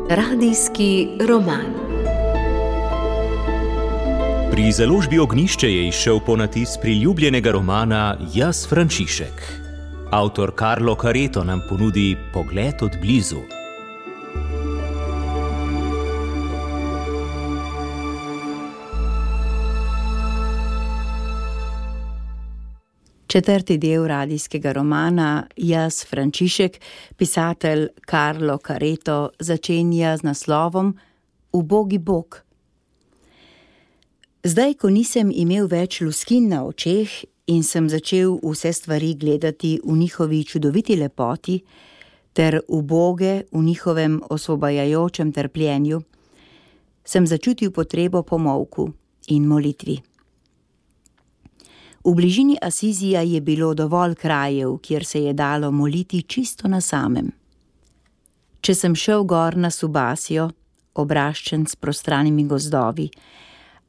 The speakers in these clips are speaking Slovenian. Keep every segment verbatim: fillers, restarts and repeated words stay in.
Radijski roman. Pri založbi Ognjišče je izšel ponatis priljubljenega romana Jaz, Frančišek. Avtor Carlo Careto nam ponudi pogled od blizu. Četrti del radijskega romana Jaz, Frančišek, pisatelj Carlo Careto začenja z naslovom Ubogi Bog. Zdaj, ko nisem imel več luskin na očeh in sem začel vse stvari gledati v njihovi čudoviti lepoti ter uboge v njihovem osvobajajočem trpljenju, sem začutil potrebo po molku in molitvi. V bližini Asizija je bilo dovolj krajev, kjer se je dalo moliti čisto na samem. Če sem šel gor na Subasio, obraščen s prostranimi gozdovi,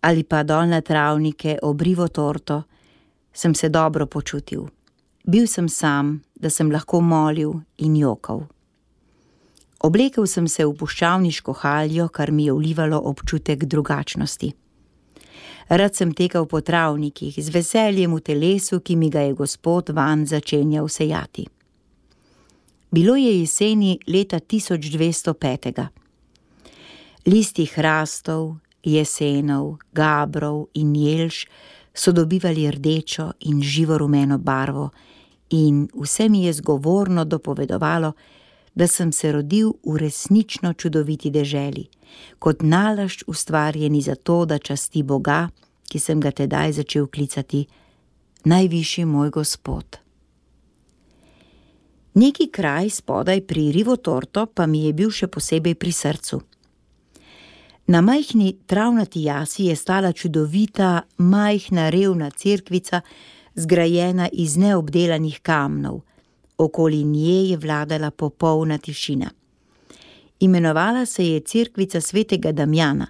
ali pa dol na travnike ob Rivo Torto, sem se dobro počutil. Bil sem sam, da sem lahko molil in jokal. Oblekel sem se v puščavniško haljo, kar mi je vlivalo občutek drugačnosti. Rad sem tekal po travnikih, z veseljem v telesu, ki mi ga je Gospod vanj začenjal sejati. Bilo je jeseni leta tisoč dvesto petega. Listi hrastov, jesenov, gabrov in jelš so dobivali rdečo in živo rumeno barvo in vse mi je zgovorno dopovedovalo, da sem se rodil v resnično čudoviti deželi, kot nalašč ustvarjeni za to, da časti Boga, ki sem ga tedaj začel klicati najvišji moj Gospod. Neki kraj spodaj pri Rivo Torto pa mi je bil še posebej pri srcu. Na majhni travnati jasi je stala čudovita, majhna revna cerkvica, zgrajena iz neobdelanih kamnov. Okoli nje je vladala popolna tišina. Imenovala se je cerkvica svetega Damjana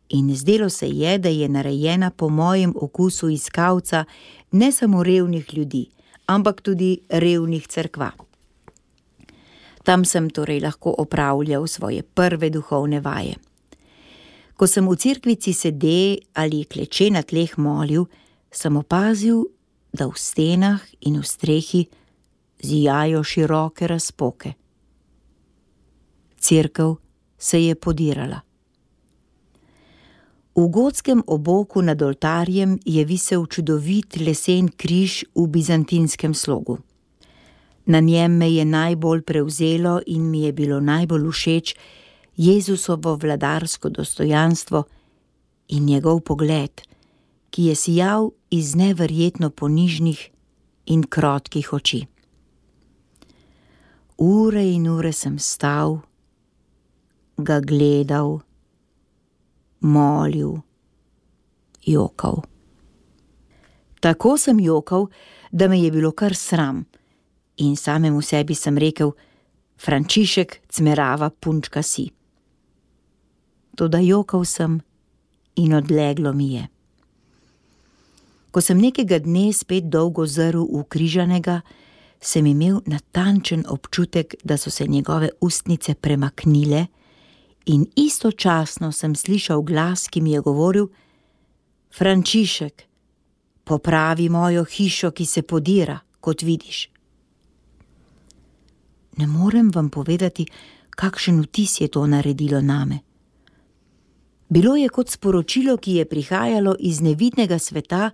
in zdelo se je, da je narejena po mojem okusu iskalca ne samo revnih ljudi, ampak tudi revnih cerkva. Tam sem torej lahko opravljal svoje prve duhovne vaje. Ko sem v cerkvici sede ali kleče na tleh molil, sem opazil, da v stenah in v strehi zijajo široke razpoke. Cerkev se je podirala. V gotskem oboku nad oltarjem je visel čudovit lesen križ v bizantinskem slogu. Na njem me je najbolj prevzelo in mi je bilo najbolj všeč Jezusovo vladarsko dostojanstvo in njegov pogled, ki je sijal iz neverjetno ponižnih in krotkih oči. Ure in ure sem stal, ga gledal, molil, jokal. Tako sem jokal, da me je bilo kar sram in samemu sebi sem rekel, Frančišek, cmerava punčka si. Toda jokal sem in odleglo mi je. Ko sem nekega dne spet dolgo zrl v križanega, sem imel natančen občutek, da so se njegove ustnice premaknile in istočasno sem slišal glas, ki mi je govoril, Frančišek, popravi mojo hišo, ki se podira, kot vidiš. Ne morem vam povedati, kakšen vtis je to naredilo name. Bilo je kot sporočilo, ki je prihajalo iz nevidnega sveta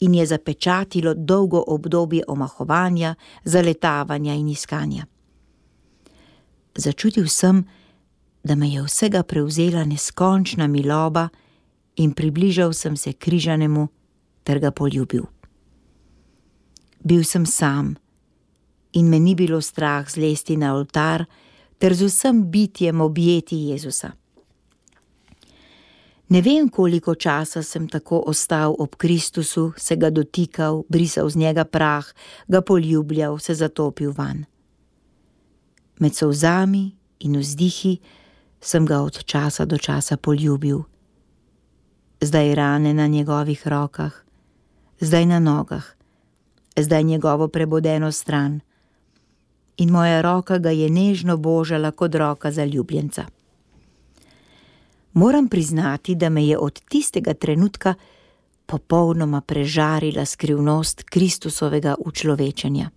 in je zapečatilo dolgo obdobje omahovanja, zaletavanja in iskanja. Začutil sem, da me je vsega prevzela neskončna miloba in približal sem se križanemu ter ga poljubil. Bil sem sam in me ni bilo strah zlesti na oltar ter z vsem bitjem objeti Jezusa. Ne vem, koliko časa sem tako ostal ob Kristusu, se ga dotikal, brisal z njega prah, ga poljubljal, se zatopil vanj. Med solzami in vzdihi sem ga od časa do časa poljubil. Zdaj rane na njegovih rokah, zdaj na nogah, zdaj njegovo prebodeno stran, in moja roka ga je nežno božala kot roka zaljubljenca. Moram priznati, da me je od tistega trenutka popolnoma prežarila skrivnost Kristusovega učlovečenja.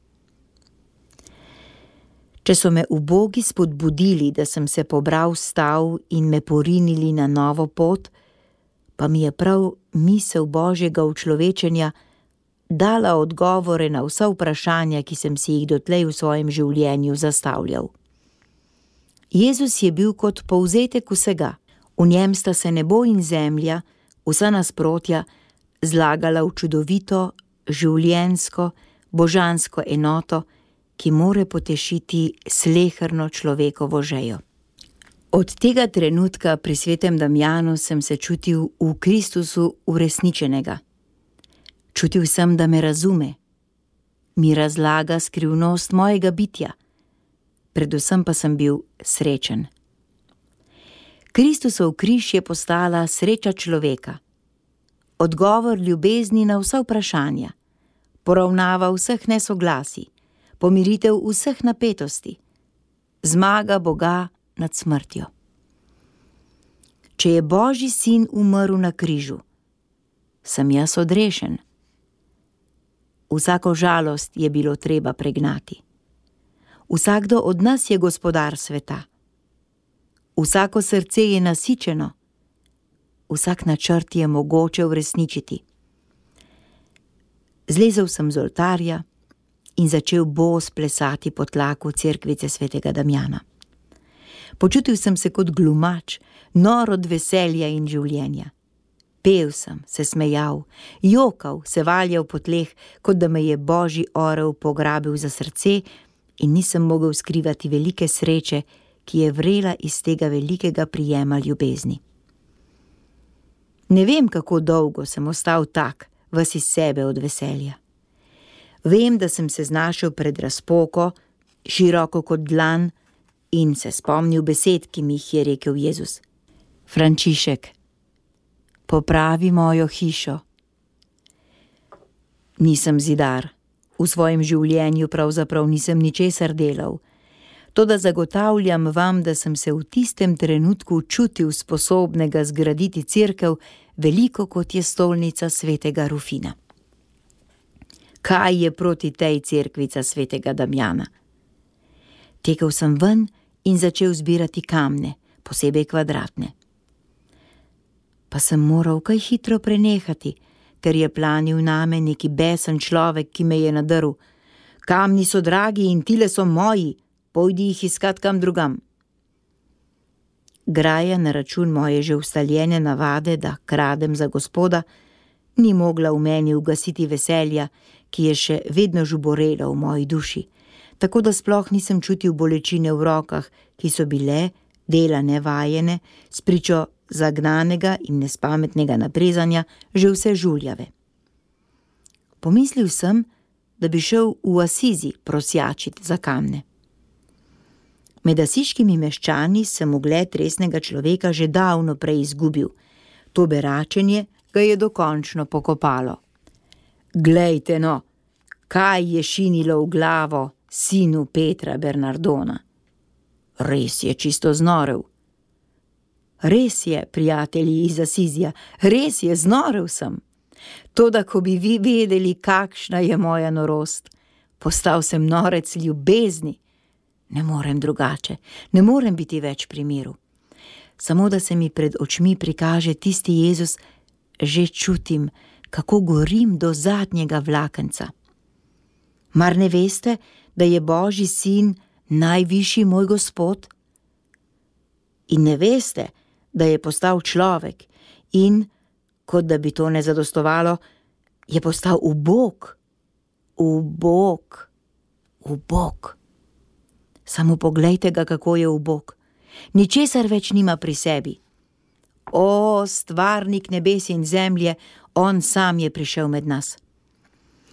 Če so me ubogi spodbudili, da sem se pobral stav in me porinili na novo pot, pa mi je prav misel Božjega učlovečenja dala odgovore na vsa vprašanja, ki sem si jih dotlej v svojem življenju zastavljal. Jezus je bil kot povzetek vsega. V njem sta se nebo in zemlja, vsa nasprotja, zlagala v čudovito, življenjsko, božansko enoto, ki more potešiti sleherno človekovo žejo. Od tega trenutka pri svetem Damjanu sem se čutil v Kristusu uresničenega. Čutil sem, da me razume, mi razlaga skrivnost mojega bitja, predvsem pa sem bil srečen. Kristusov križ je postala sreča človeka, odgovor ljubezni na vsa vprašanja, poravnava vseh nesoglasij, pomiritev vseh napetosti, zmaga Boga nad smrtjo. Če je Božji sin umrl na križu, sem jaz odrešen. Vsako žalost je bilo treba pregnati. Vsakdo od nas je gospodar sveta. Vsako srce je nasičeno, vsak načrt je mogoče uresničiti. Zlezel sem z oltarja in začel bos plesati po tlaku cerkvice svetega Damjana. Počutil sem se kot glumač, nor od veselja in življenja. Pel sem, se smejal, jokal, se valjal po tleh, kot da me je Božji orel pograbil za srce in nisem mogel skrivati velike sreče, ki je vrela iz tega velikega prijema ljubezni. Ne vem, kako dolgo sem ostal tak, ves iz sebe od veselja. Vem, da sem se znašel pred razpoko, široko kot dlan, in se spomnil besed, ki mi jih je rekel Jezus. Frančišek, popravi mojo hišo. Nisem zidar, v svojem življenju pravzaprav nisem ničesar delal, toda zagotavljam vam, da sem se v tistem trenutku čutil sposobnega zgraditi cerkev, veliko kot je stolnica svetega Rufina. Kaj je proti tej cerkvica svetega Damjana? Tekel sem ven in začel zbirati kamne, posebej kvadratne. Pa sem moral kaj hitro prenehati, ker je planil name neki besen človek, ki me je nadrl. Kamni so dragi in tile so moji, pojdi jih iskat kam drugam. Graja na račun moje že ustaljene navade, da kradem za Gospoda, ni mogla v meni ugasiti veselja, ki je še vedno žuborela v moji duši, tako da sploh nisem čutil bolečine v rokah, ki so bile, dela nevajene, spričo zagnanega in nespametnega naprezanja, že vse žuljave. Pomislil sem, da bi šel v Asizi prosjačiti za kamne. Med asiškimi meščani sem ugled resnega človeka že davno prej izgubil. To beračenje ga je dokončno pokopalo. Glejte no, kaj je šinilo v glavo sinu Petra Bernardona. Res je čisto znorel. Res je, prijatelji iz Asizija, res je, znorel sem. Toda, ko bi vi vedeli, kakšna je moja norost, postal sem norec ljubezni. Ne morem drugače, ne morem biti več pri miru. Samo da se mi pred očmi prikaže tisti Jezus, že čutim, kako gorim do zadnjega vlakenca. Mar ne veste, da je Božji sin najvišji moj Gospod? In ne veste, da je postal človek in, kot da bi to ne zadostovalo, je postal ubog, ubog, ubog. Samo poglejte ga, kako je ubog. Ničesar več nima pri sebi. O, stvarnik nebes in zemlje, on sam je prišel med nas.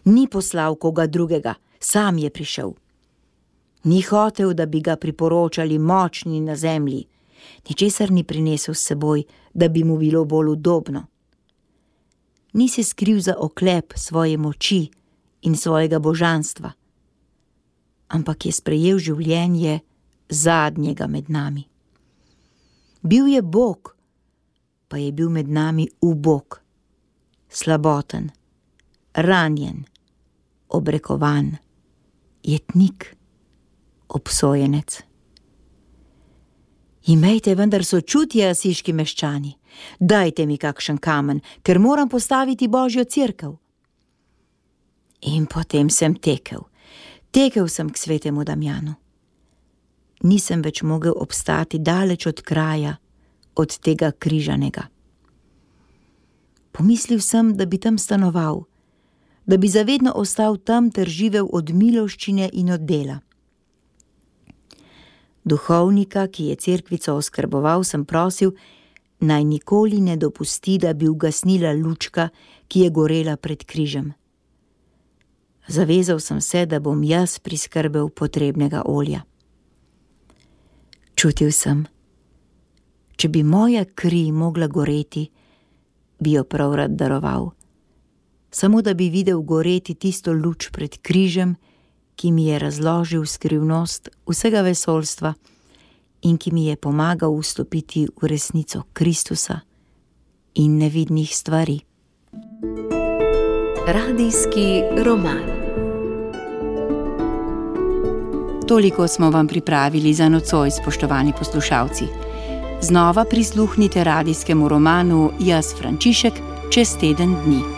Ni poslal koga drugega, sam je prišel. Ni hotel, da bi ga priporočali močni na zemlji. Ničesar ni prinesel s seboj, da bi mu bilo bolj udobno. Ni se skril za oklep svoje moči in svojega božanstva, ampak je sprejel življenje zadnjega med nami. Bil je Bog, pa je bil med nami ubog, slaboten, ranjen, obrekovan, jetnik, obsojenec. Imejte vendar sočutje, asiški meščani, dajte mi kakšen kamen, ker moram postaviti Božjo cerkev. In potem sem tekel, tekel sem k svetemu Damjanu. Nisem več mogel obstati daleč od kraja, od tega križanega. Pomislil sem, da bi tam stanoval, da bi zavedno ostal tam ter živel od miloščine in od dela. Duhovnika, ki je cerkvico oskrboval, sem prosil, naj nikoli ne dopusti, da bi ugasnila lučka, ki je gorela pred križem. Zavezal sem se, da bom jaz priskrbel potrebnega olja. Čutil sem, če bi moja kri mogla goreti, bi jo prav rad daroval, samo da bi videl goreti tisto luč pred križem, ki mi je razložil skrivnost vsega vesoljstva in ki mi je pomagal vstopiti v resnico Kristusa in nevidnih stvari. Radijski roman. Toliko smo vam pripravili za nocoj, spoštovani poslušalci. Znova prisluhnite radijskemu romanu Jaz Frančišek čez teden dni.